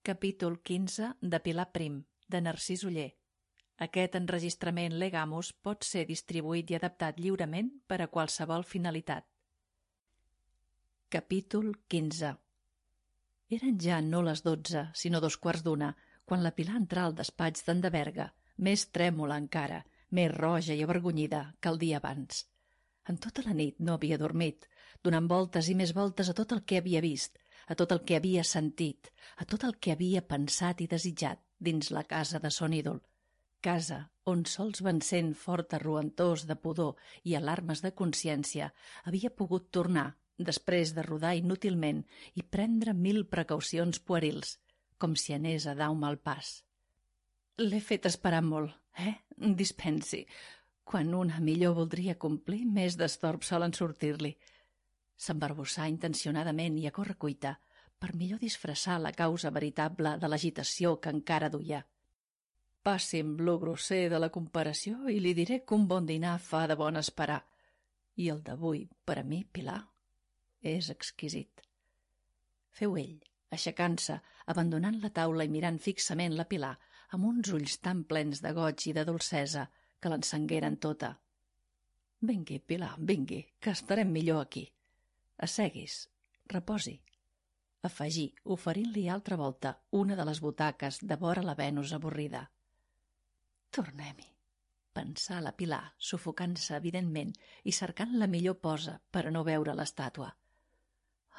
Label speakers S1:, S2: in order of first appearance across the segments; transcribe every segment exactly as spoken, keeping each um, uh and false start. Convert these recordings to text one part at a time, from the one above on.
S1: Capítol quinze de Pilar Prim, de Narcís Oller. Aquest enregistrament Legamus pot ser distribuït i adaptat lliurement per a qualsevol finalitat. Capítol quinze. Eren ja no les dotze, sinó dos quarts d'una, quan la Pilar entrà al despatx d'en de Berga, més trèmola encara, més roja i avergonyida que el dia abans. En tota la nit no havia dormit, donant voltes i més voltes a tot el que havia vist, a tot el que havia sentit, a tot el que havia pensat i desitjat dins la casa de son ídol. Casa on sols vencent fort arruentós de pudor i alarmes de consciència havia pogut tornar, després de rodar inútilment i prendre mil precaucions puerils, com si anés a dar un mal pas. L'he fet esperar molt, eh? Dispensi. Quan una millor voldria complir, més d'estorbs solen sortir-li. S'embarbussà intencionadament i a correcuita per millor disfressar la causa veritable de l'agitació que encara duia. Passi'm lo grosser de la comparació i li diré que un bon dinar fa de bon esperar. I el d'avui, per a mi, Pilar, és exquisit. Feu ell, aixecant-se, abandonant la taula i mirant fixament la Pilar, amb uns ulls tan plens de goig i de dolcesa que l'encengueren tota. Vingui, Pilar, vingui, que estarem millor aquí. Asseguis, reposi. Afegí, oferint-li altra volta una de les butaques de vora la Venus avorrida. Tornem-hi, pensà la Pilar, sufocant-se evidentment i cercant la millor posa per a no veure l'estàtua.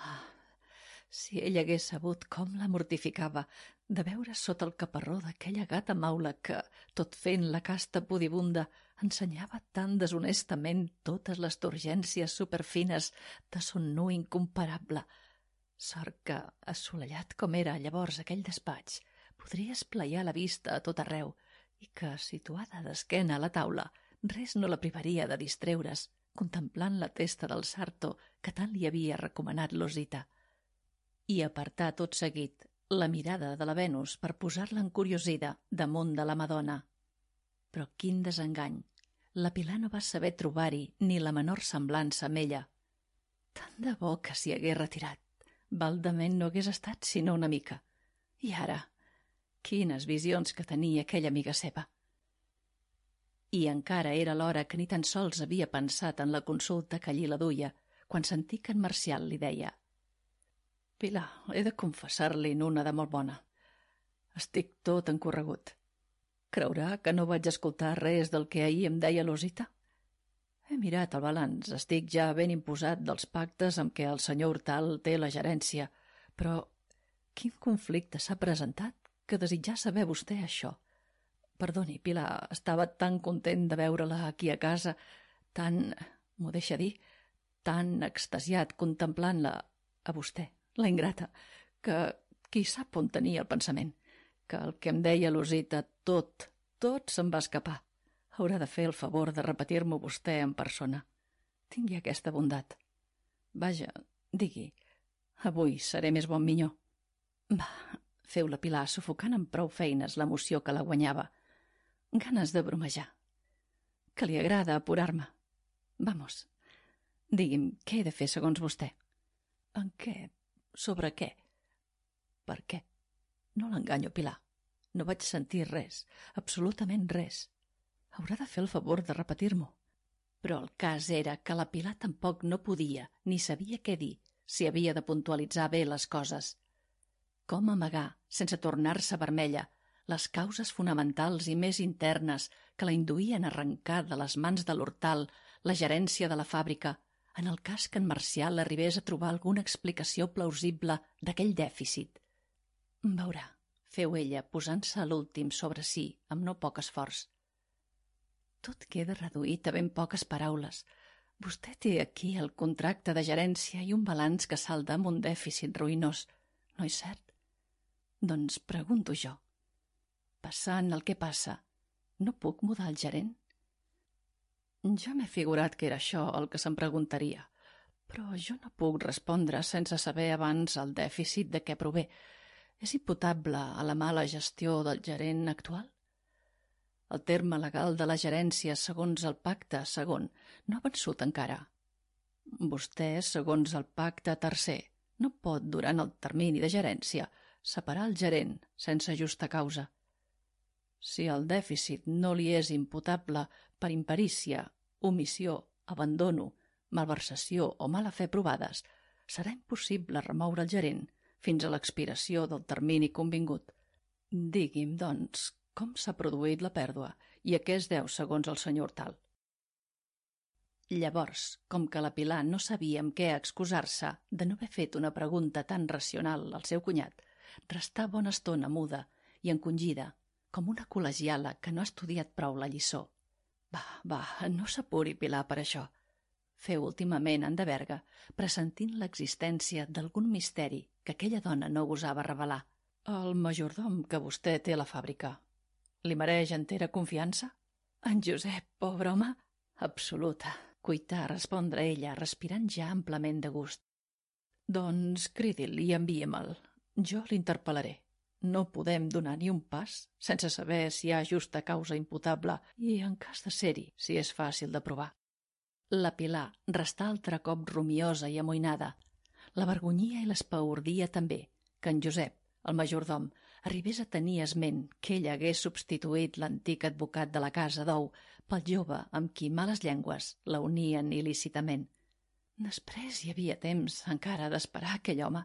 S1: Ah, si ell hagués sabut com la mortificava de veure sota el caparró d'aquella gata maula que, tot fent la casta pudibunda, ensenyava tan deshonestament totes les turgències superfines de son nu incomparable. Sort que, assolellat com era llavors aquell despatx, podria esplaiar la vista a tot arreu i que, situada d'esquena a la taula, res no la privaria de distreure's, contemplant la testa del sarto que tant li havia recomanat l'Osita. I apartar tot seguit la mirada de la Venus per posar-la encuriosida damunt de la Madonna. Però quin desengany! La Pilar no va saber trobar-hi ni la menor semblança amb ella. Tant de bo que s'hi hagués retirat. Baldament no hagués estat sinó una mica. I ara, quines visions que tenia aquella amiga seva! I encara era l'hora que ni tan sols havia pensat en la consulta que allí la duia, quan sentí que en Marcial li deia: Pilar, he de confessar-li una de molt bona. Estic tot encorregut. Creurà que no vaig escoltar res del que ahir em deia l'Osita? He mirat el balanç, estic ja ben imposat dels pactes amb què el senyor Hortal té la gerència, però quin conflicte s'ha presentat que desitjar saber vostè això? Perdoni, Pilar, estava tan content de veure-la aquí a casa, tan, m'ho deixa dir, tan extasiat contemplant-la a vostè, la ingrata, que qui sap on tenia el pensament, que el que em deia l'Osita tot, tot se'm va escapar. Haurà de fer el favor de repetir-m'ho vostè en persona. Tingui aquesta bondat. Vaja, digui, avui seré més bon minyó. Va, feu la Pilar, sufocant amb prou feines l'emoció que la guanyava. Ganes de bromejar. Que li agrada apurar-me. Vamos, digui'm, què he de fer segons vostè? En què? Sobre què? Per què? No l'enganyo, Pilar. No vaig sentir res, absolutament res. Haurà de fer el favor de repetir-m'ho. Però el cas era que la Pilar tampoc no podia ni sabia què dir si havia de puntualitzar bé les coses. Com amagar, sense tornar-se vermella, les causes fonamentals i més internes que la induïen a arrencar de les mans de l'Hortal la gerència de la fàbrica, en el cas que en Marcial arribés a trobar alguna explicació plausible d'aquell dèficit. Veurà, feu ella, posant-se a l'últim sobre si, amb no poc esforç. Tot queda reduït a ben poques paraules. Vostè té aquí el contracte de gerència i un balanç que salda amb un dèficit ruïnós, no és cert? Doncs pregunto jo. Passant el que passa, no puc mudar el gerent? Ja m'he figurat que era això el que se'm preguntaria, però jo no puc respondre sense saber abans el dèficit de què prové. És imputable a la mala gestió del gerent actual? El terme legal de la gerència segons el pacte segon no ha vençut encara. Vostè, segons el pacte tercer, no pot, durant el termini de gerència, separar el gerent sense justa causa. Si el dèficit no li és imputable per imperícia, omissió, abandono, malversació o mala fe provades, serà impossible remoure el gerent fins a l'expiració del termini convingut. Digui'm, doncs, com s'ha produït la pèrdua i a què es deu segons el senyor Tal. Llavors, com que la Pilar no sabia amb què excusar-se de no haver fet una pregunta tan racional al seu cunyat, restà bona estona muda i encongida, com una col·legiala que no ha estudiat prou la lliçó. Va, va, no s'apuri, Pilar, per això. Feu últimament en de Berga, pressentint l'existència d'algun misteri que aquella dona no gosava revelar. El majordom que vostè té a la fàbrica, li mereix entera confiança? En Josep, pobre home? Absoluta, cuità respondre ella, respirant ja amplament de gust. Doncs cridi'l i envie'm-el. Jo l'interpel·laré. No podem donar ni un pas sense saber si hi ha justa causa imputable i, en cas de ser-hi, si és fàcil de provar. La Pilar restà altre cop rumiosa i amoïnada. La vergonyia i l'espaordia també, que en Josep, el majordom, arribés a tenir esment que ell hagués substituït l'antic advocat de la casa d'Ou pel jove amb qui males llengües la unien il·lícitament. Després hi havia temps encara d'esperar aquell home.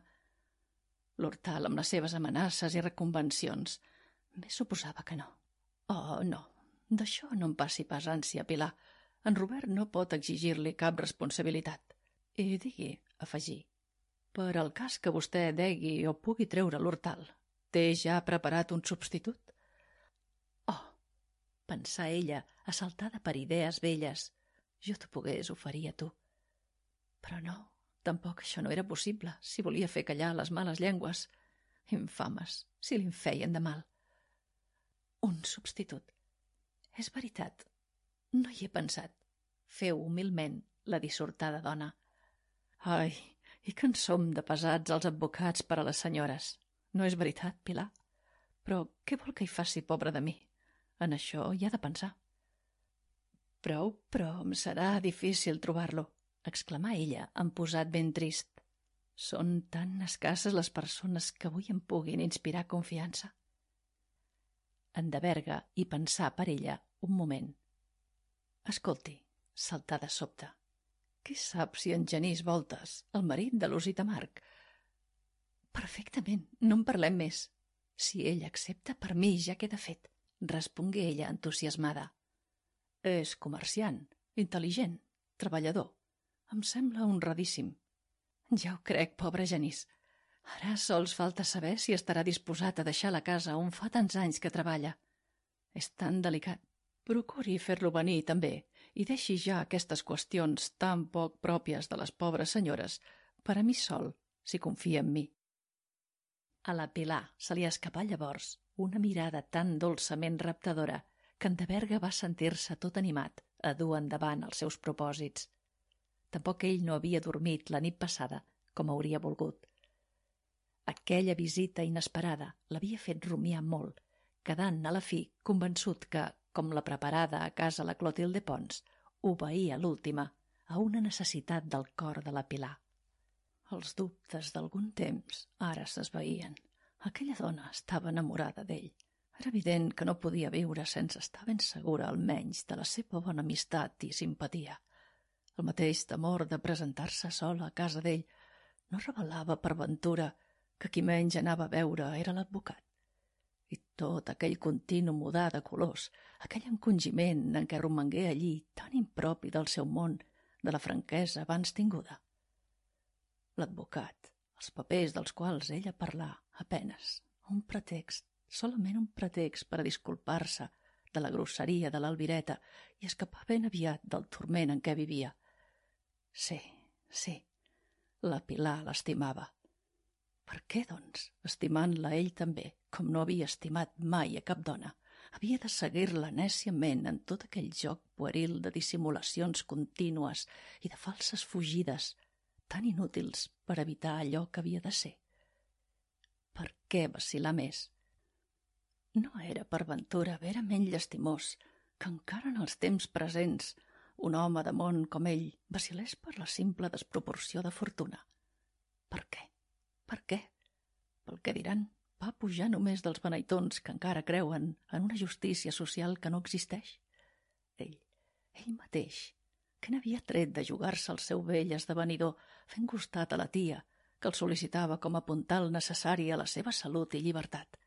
S1: L'Hortal, amb les seves amenaces i reconvencions, bé suposava que no. Oh, no, d'això no em passi pas ànsia, Pilar. En Robert no pot exigir-li cap responsabilitat. I digui, afegí, per al cas que vostè degui o pugui treure l'Hortal, té ja preparat un substitut? Oh, pensà ella, assaltada per idees velles, jo t'ho pogués oferir a tu. Però no, tampoc això no era possible, si volia fer callar les males llengües. Infames, si li'n feien de mal. Un substitut. És veritat, no hi he pensat. Feu humilment la dissortada dona. Ai, i que en som de pesats els advocats per a les senyores. No és veritat, Pilar? Però què vol que hi faci, pobra de mi? En això hi ha de pensar. Prou, però em serà difícil trobar-lo, exclamà ella, amb posat ben trist. Són tan escasses les persones que avui em puguin inspirar confiança. En de Berga hi pensà per ella un moment. Escolti, saltà de sobte. Qui sap si en Genís Voltes, el marit de l'Osita Marc? Perfectament, no en parlem més. Si ell accepta, per mi ja queda fet, respongué ella entusiasmada. És comerciant, intel·ligent, treballador. Em sembla honradíssim. Ja ho crec, pobre Genís. Ara sols falta saber si estarà disposat a deixar la casa on fa tants anys que treballa. És tan delicat. Procuri fer-lo venir també i deixi ja aquestes qüestions tan poc pròpies de les pobres senyores per a mi sol, si confia en mi. A la Pilar se li escapà llavors una mirada tan dolçament raptadora que en de Berga va sentir-se tot animat a dur endavant els seus propòsits. Tampoc ell no havia dormit la nit passada com hauria volgut. Aquella visita inesperada l'havia fet rumiar molt, quedant a la fi convençut que, com la preparada a casa la Clotilde Pons, obeïa l'última a una necessitat del cor de la Pilar. Els dubtes d'algun temps ara s'esvaïen. Aquella dona estava enamorada d'ell. Era evident que no podia viure sense estar ben segura almenys de la seva bona amistat i simpatia. El mateix temor de presentar-se sola a casa d'ell no revelava per ventura que qui menys anava a veure era l'advocat. I tot aquell continu mudar de colors, aquell encongiment en què romangué allí tan impropi del seu món, de la franquesa abans tinguda. L'advocat, els papers dels quals ella parlà, apenes, un pretext, solament un pretext per a disculpar-se de la grosseria de l'Albireta i escapar ben aviat del turment en què vivia. Sí, sí, la Pilar l'estimava. Per què, doncs, estimant-la ell també, com no havia estimat mai a cap dona, havia de seguir-la nèciament en tot aquell joc pueril de dissimulacions contínues i de falses fugides, tan inútils per evitar allò que havia de ser? Per què vacil·lar més? No era per ventura verament llastimós que encara en els temps presents un home de món com ell vacil·lés per la simple desproporció de fortuna. Per què? Per què? Pel que diran, va pujar només dels beneitons que encara creuen en una justícia social que no existeix? Ell, ell mateix, que n'havia tret de jugar-se el seu vell esdevenidor fent costat a la tia, que el sol·licitava com a puntal necessari a la seva salut i llibertat.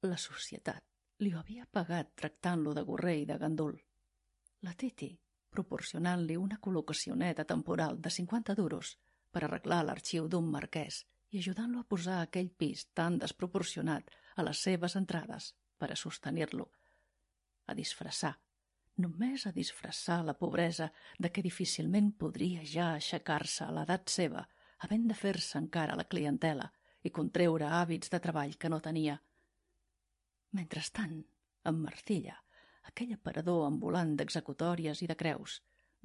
S1: La societat li ho havia pagat tractant-lo de gorrer i de gandul. La Titi, proporcionant-li una col·locacioneta temporal de cinquanta duros per arreglar l'arxiu d'un marquès i ajudant-lo a posar aquell pis tan desproporcionat a les seves entrades per a sostenir-lo, a disfressar, només a disfressar la pobresa de què difícilment podria ja aixecar-se a l'edat seva, havent de fer-se encara la clientela i contreure hàbits de treball que no tenia. Mentrestant, en Marcilla, aquell aparador ambulant d'executòries i de creus,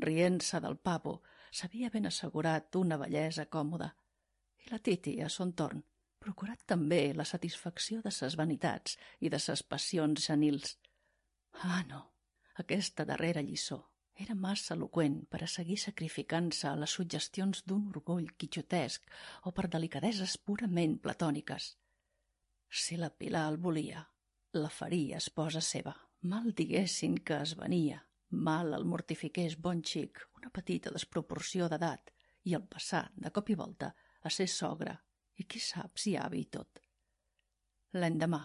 S1: rient-se del papo, s'havia ben assegurat una bellesa còmoda. I la Titi, a son torn, procurat també la satisfacció de ses vanitats i de ses passions senils. Ah, no, aquesta darrera lliçó era massa eloqüent per a seguir sacrificant-se a les suggestions d'un orgull quixotesc o per delicadeses purament platòniques. Si la Pilar el volia, la faria esposa seva. Mal diguessin que es venia, mal el mortifiqués bon xic una petita desproporció d'edat i el passar, de cop i volta, a ser sogre i qui sap si avi i tot. L'endemà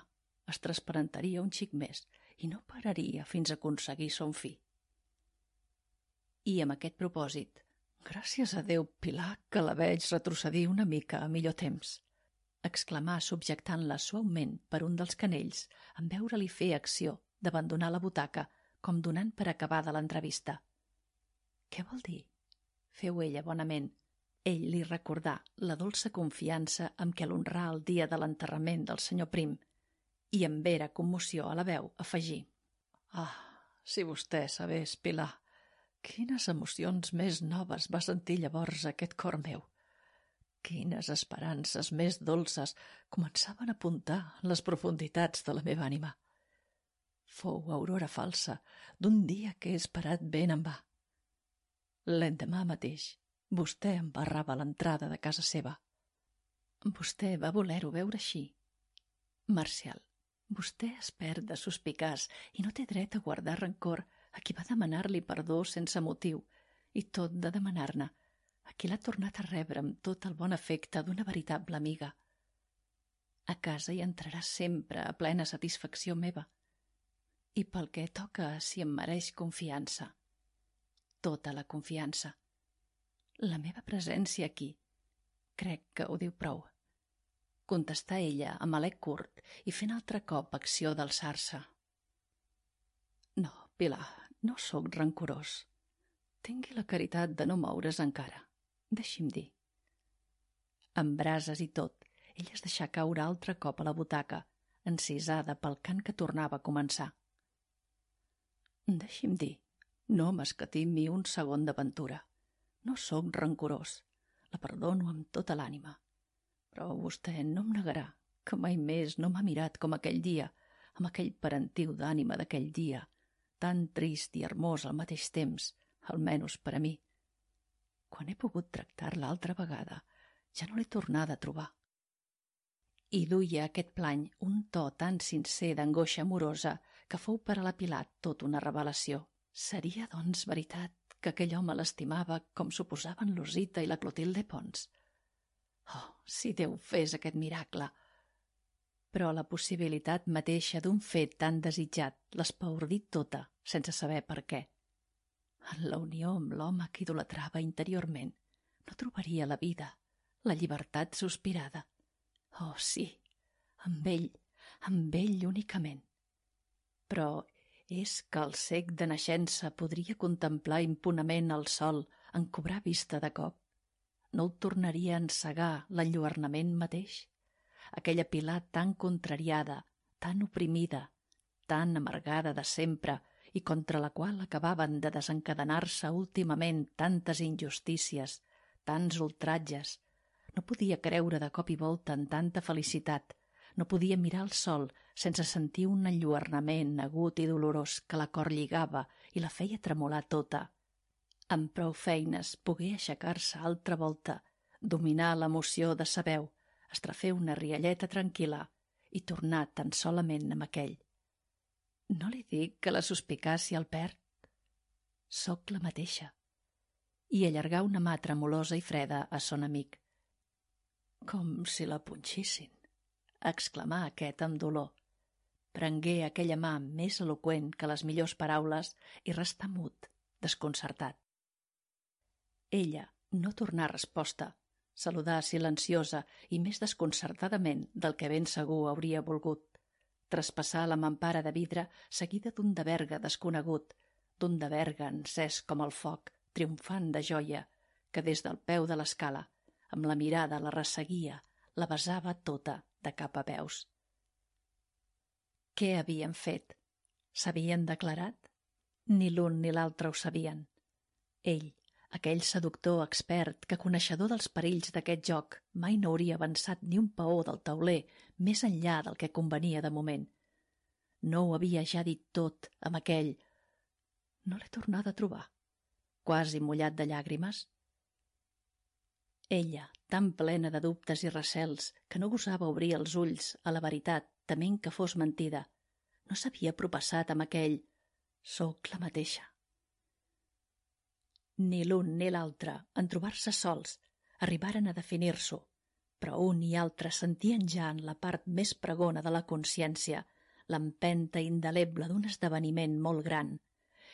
S1: es transparentaria un xic més i no pararia fins a aconseguir son fi. I amb aquest propòsit, gràcies a Déu, Pilar, que la veig retrocedir una mica a millor temps, exclamà subjectant-la suaument per un dels canells en veure-li fer acció d'abandonar la butaca com donant per acabada l'entrevista. Què vol dir? Feu ella bonament. Ell li recordà la dolça confiança amb què l'honrà el dia de l'enterrament del senyor Prim i amb vera commoció a la veu afegí: Ah, si vostè sabés, Pilar, quines emocions més noves va sentir llavors aquest cor meu. Quines esperances més dolces començaven a apuntar les profunditats de la meva ànima. Fou aurora falsa d'un dia que he esperat ben en va. L'endemà mateix, vostè em barrava l'entrada de casa seva. Vostè va voler-ho veure així. Marcial, vostè es perd de suspicaç i no té dret a guardar rancor a qui va demanar-li perdó sense motiu i tot de demanar-ne, a qui l'ha tornat a rebre amb tot el bon afecte d'una veritable amiga. A casa hi entrarà sempre a plena satisfacció meva i pel que toca si em mereix confiança, tota la confiança. La meva presència aquí, crec que ho diu prou. Contestà ella amb alè curt i fent altre cop acció d'alçar-se. No, Pilar, no sóc rancorós. Tingui la caritat de no moure's encara. Deixi'm dir. Amb brases i tot, ella es deixà caure altre cop a la butaca, encisada pel cant que tornava a començar. Deixi'm dir, no m'escatimi un segon d'aventura. No sóc rancorós, la perdono amb tota l'ànima. Però vostè no em negarà que mai més no m'ha mirat com aquell dia, amb aquell parentiu d'ànima d'aquell dia, tan trist i hermós al mateix temps, almenys per a mi. Quan he pogut tractar-la altra vegada, ja no l'he tornada a trobar. I duia aquest plany un to tan sincer d'angoixa amorosa que fou per a la Pilar tot una revelació. Seria, doncs, veritat que aquell home l'estimava com suposaven l'Osita i la Clotilde Pons? Oh, si Déu fes aquest miracle! Però la possibilitat mateixa d'un fet tan desitjat l'espaordí tota, sense saber per què. En la unió amb l'home que idolatrava interiorment, no trobaria la vida, la llibertat sospirada. Oh, sí, amb ell, amb ell únicament. Però és que el cec de naixença podria contemplar impunament el sol en cobrar vista de cop? No el tornaria a encegar l'enlluernament mateix? Aquella Pilar tan contrariada, tan oprimida, tan amargada de sempre i contra la qual acabaven de desencadenar-se últimament tantes injustícies, tants ultratges, no podia creure de cop i volta en tanta felicitat, no podia mirar el sol sense sentir un enlluernament agut i dolorós que la cor lligava i la feia tremolar tota. Amb prou feines pogué aixecar-se altra volta, dominar l'emoció de sa veu, estrafer una rialleta tranquil·la i tornar tan solament amb aquell. No li dic que la suspicàcia el perd? Soc la mateixa. I allargar una mà tremolosa i freda a son amic. Com si la punxissin, exclamà aquest amb dolor. Prengué aquella mà més eloqüent que les millors paraules i restà mut, desconcertat. Ella no tornà resposta, saludà silenciosa i més desconcertadament del que ben segur hauria volgut. Traspassar la mampara de vidre seguida d'un de verga desconegut, d'un de verga encès com el foc, triomfant de joia, que des del peu de l'escala, amb la mirada la resseguia, la besava tota de cap a peus. Què havien fet? S'havien declarat? Ni l'un ni l'altre ho sabien. Ell, aquell seductor expert que, coneixedor dels perills d'aquest joc, mai no hauria avançat ni un peó del tauler més enllà del que convenia de moment. No ho havia ja dit tot amb aquell... No l'he tornat a trobar, quasi mullat de llàgrimes. Ella, tan plena de dubtes i recels que no gosava obrir els ulls a la veritat, tement que fos mentida, no s'havia propassat amb aquell «soc la mateixa». Ni l'un ni l'altre, en trobar-se sols, arribaren a definir-s'ho, però un i altre sentien ja en la part més pregona de la consciència l'empenta indeleble d'un esdeveniment molt gran,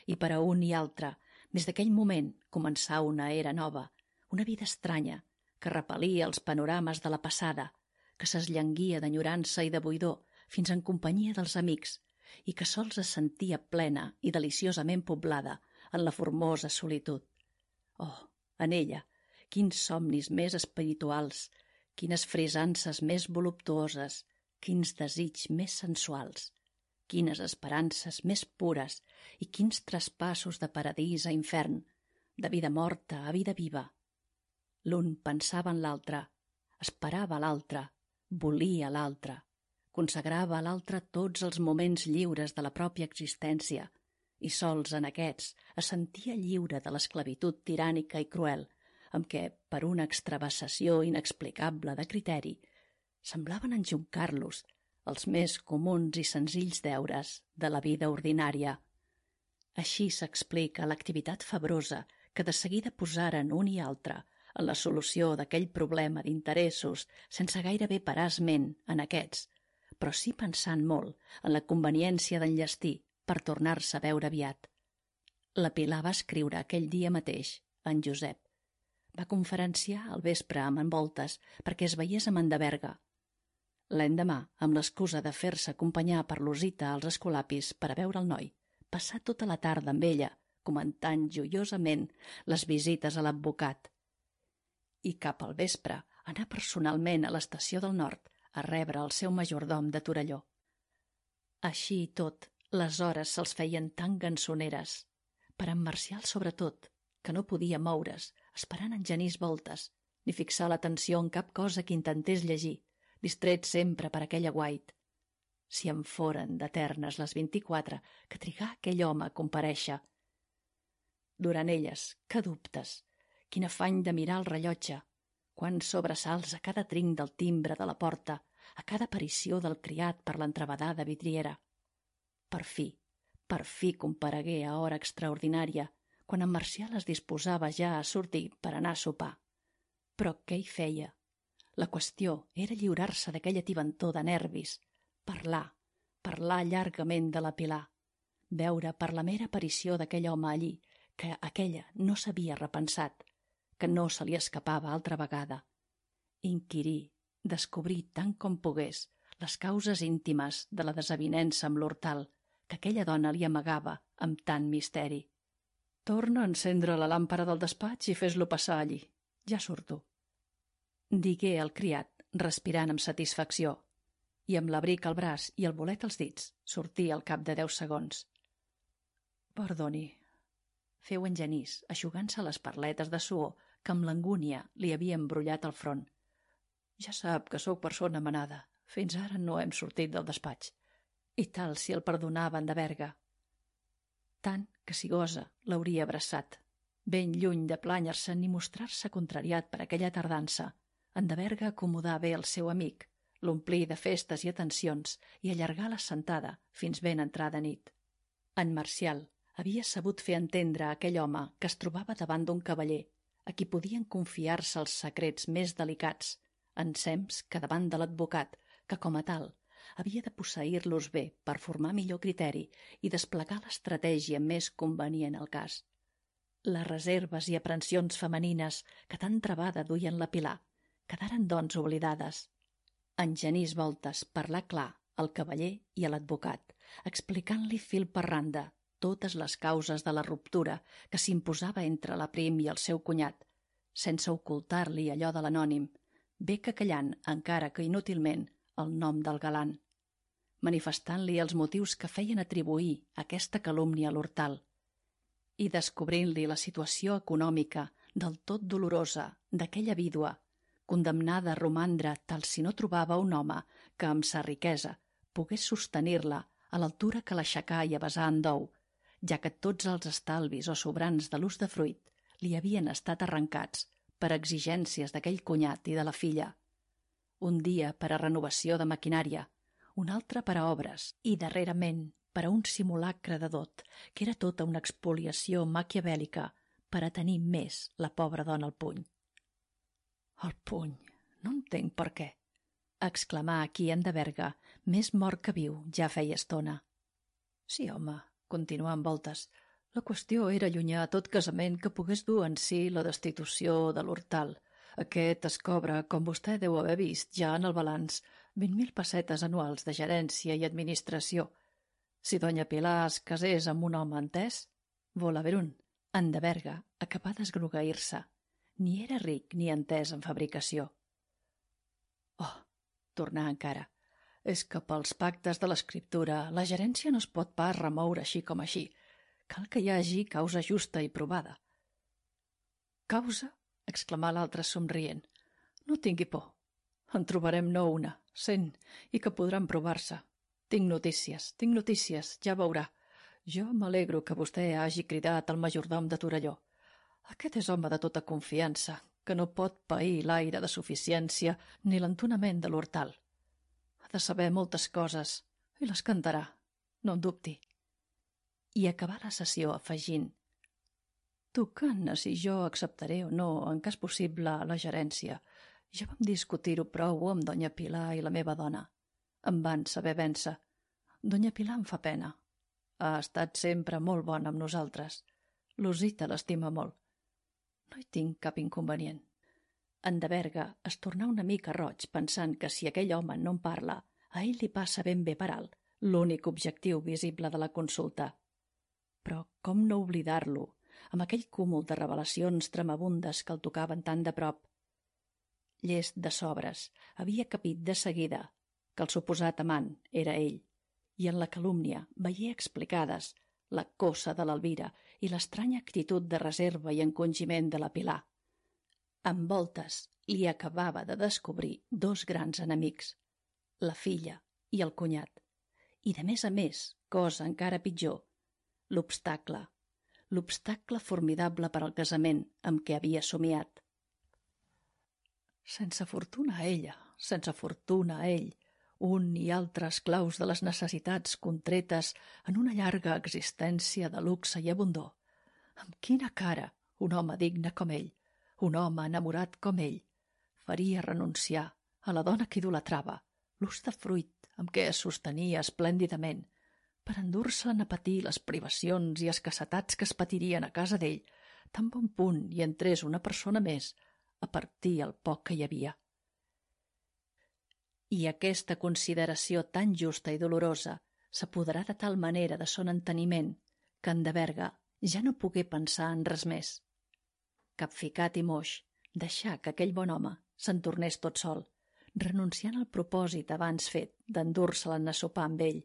S1: i per a un i altre, des d'aquell moment, començà una era nova, una vida estranya, que repel·lia els panorames de la passada, que s'esllanguia d'enyorança i de buidor fins en companyia dels amics i que sols es sentia plena i deliciosament poblada en la formosa solitud. Oh, en ella, quins somnis més espirituals, quines frisances més voluptuoses, quins desigs més sensuals, quines esperances més pures i quins traspassos de paradís a infern, de vida morta a vida viva. L'un pensava en l'altre, esperava l'altre, volia l'altre, consagrava a l'altre tots els moments lliures de la pròpia existència i sols en aquests es sentia lliure de l'esclavitud tirànica i cruel amb què, per una extravassació inexplicable de criteri, semblaven enjuncar-los els més comuns i senzills deures de la vida ordinària. Així s'explica l'activitat febrosa que de seguida posaren un i altre en la solució d'aquell problema d'interessos sense gairebé parar esment en aquests, però sí pensant molt en la conveniència d'enllestir per tornar-se a veure aviat. La Pilar va escriure aquell dia mateix a en Josep. Va conferenciar al vespre amb en Voltes perquè es veiés amb en de Berga. L'endemà, amb l'excusa de fer-se acompanyar per l'Osita als escolapis per a veure el noi, passà tota la tarda amb ella, comentant joiosament les visites a l'advocat. I cap al vespre anar personalment a l'estació del Nord a rebre el seu majordom de Torelló. Així i tot, les hores se'ls feien tan gansoneres, per en Marcial sobretot, que no podia moure's, esperant en Genís Voltes, ni fixar l'atenció en cap cosa que intentés llegir, distret sempre per aquell aguait. Si en foren d'eternes les vint-i-quatre que trigà aquell home a comparèixer. Durant elles, que dubtes, quin afany de mirar el rellotge, quants sobresalts a cada trinc del timbre de la porta, a cada aparició del criat per l'entrevedada vidriera. Per fi, per fi comparegué a hora extraordinària, quan en Marcial es disposava ja a sortir per anar a sopar. Però què hi feia? La qüestió era lliurar-se d'aquella tibantor de nervis, parlar, parlar llargament de la Pilar, veure per la mera aparició d'aquell home allí, que aquella no s'havia repensat, que no se li escapava altra vegada. Inquirir, descobrir tant com pogués les causes íntimes de la desavinença amb l'Hortal que aquella dona li amagava amb tant misteri. Torna a encendre la làmpara del despatx i fes-lo passar allí. Ja surto. Digué el criat, respirant amb satisfacció, i amb l'abric al braç i el bolet als dits sortí al cap de deu segons. Perdoni, feu en Genís, eixugant-se les parletes de suor que amb l'angúnia li havia embrollat el front. Ja sap que sóc persona manada. Fins ara no hem sortit del despatx. I tal si el perdonava en de Berga. Tant que si gosa l'hauria abraçat. Ben lluny de plànyer-se ni mostrar-se contrariat per aquella tardança, en de Berga acomodà bé el seu amic, l'omplir de festes i atencions i allargar la sentada fins ben entrada nit. En Marcial havia sabut fer entendre a aquell home que es trobava davant d'un cavaller a qui podien confiar-se els secrets més delicats, ensems que davant de l'advocat, que com a tal havia de posseir-los bé per formar millor criteri i desplegar l'estratègia més convenient al cas. Les reserves i aprensions femenines que tan trebada duien la Pilar quedaren doncs oblidades. En Genís Voltes parlà clar al cavaller i a l'advocat, explicant-li fil per randa totes les causes de la ruptura que s'imposava entre la Prim i el seu cunyat, sense ocultar-li allò de l'anònim, bé que callant, encara que inútilment, el nom del galant, manifestant-li els motius que feien atribuir aquesta calúmnia a l'Hortal i descobrint-li la situació econòmica del tot dolorosa d'aquella vídua, condemnada a romandre tal si no trobava un home que amb sa riquesa pogués sostenir-la a l'altura que l'aixecà i avesà en dou, ja que tots els estalvis o sobrants de l'ús de fruit li havien estat arrencats per exigències d'aquell cunyat i de la filla. Un dia per a renovació de maquinària, un altre per a obres i, darrerament, per a un simulacre de dot, que era tota una expoliació maquiavèlica per a tenir més la pobra dona al puny. El puny, no entenc per què, exclamà aquí en de Berga, més mort que viu, ja feia estona. Sí, home, continuà en Voltes, la qüestió era allunyar tot casament que pogués dur en si la destitució de l'Hortal. Aquest es cobra, com vostè deu haver vist ja en el balanç, vint mil pessetes anuals de gerència i administració. Si doña Pilar es casés amb un home entès, vol haver un. En de Berga acabà d'esgrogueir-se. Ni era ric ni entès en fabricació. Oh, tornà encara, és que pels pactes de l'escriptura la gerència no es pot pas remoure així com així. Cal que hi hagi causa justa i provada. Causa? Exclamà l'altre somrient. No tingui por. En trobarem no una, cent, i que podran provar-se. Tinc notícies, tinc notícies, ja veurà. Jo m'alegro que vostè hagi cridat al majordom de Torelló. Aquest és home de tota confiança, que no pot pair l'aire de suficiència ni l'entonament de l'Hortal. Ha de saber moltes coses, i les cantarà, no en dubti. I acabà la sessió afegint: tocant a si jo acceptaré o no, en cas possible, la gerència. Ja vam discutir-ho prou amb doña Pilar i la meva dona. Em van saber vèncer. Doña Pilar em fa pena. Ha estat sempre molt bona amb nosaltres. L'Osita l'estima molt. No hi tinc cap inconvenient. En de Berga es tornà una mica roig pensant que si aquell home no en parla, a ell li passa ben bé per alt l'únic objectiu visible de la consulta. Però com no oblidar-lo amb aquell cúmul de revelacions tremabundes que el tocaven tan de prop? Llest de sobres, havia capit de seguida que el suposat amant era ell, i en la calúmnia veié explicades la coça de l'Elvira i l'estranya actitud de reserva i encongiment de la Pilar. Amb Voltes li acabava de descobrir dos grans enemics, la filla i el cunyat, i de més a més, cosa encara pitjor, l'obstacle, l'obstacle formidable per al casament amb què havia somiat. Sense fortuna a ella, sense fortuna a ell, un i altre esclaus de les necessitats contretes en una llarga existència de luxe i abundor. Amb quina cara un home digne com ell, un home enamorat com ell, faria renunciar a la dona que idolatrava, l'ús de fruit amb què es sostenia esplèndidament, per endur-se'n a patir les privacions i escassetats que es patirien a casa d'ell, tan bon punt hi entrés una persona més a partir el poc que hi havia. I aquesta consideració tan justa i dolorosa s'apoderà de tal manera de son enteniment que en de Berga ja no pogué pensar en res més. Capficat i moix, deixà que aquell bon home se'n tornés tot sol, renunciant al propòsit abans fet d'endur-se-la a sopar amb ell.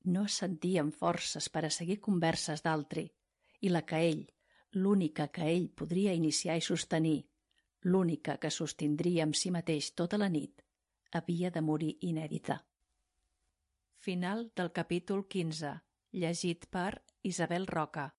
S1: No es sentien forces per a seguir converses d'altri, i la que ell, l'única que ell podria iniciar i sostenir, l'única que sostindria amb si mateix tota la nit, havia de morir inèdita. Final del capítol quinze, llegit per Isabel Roca.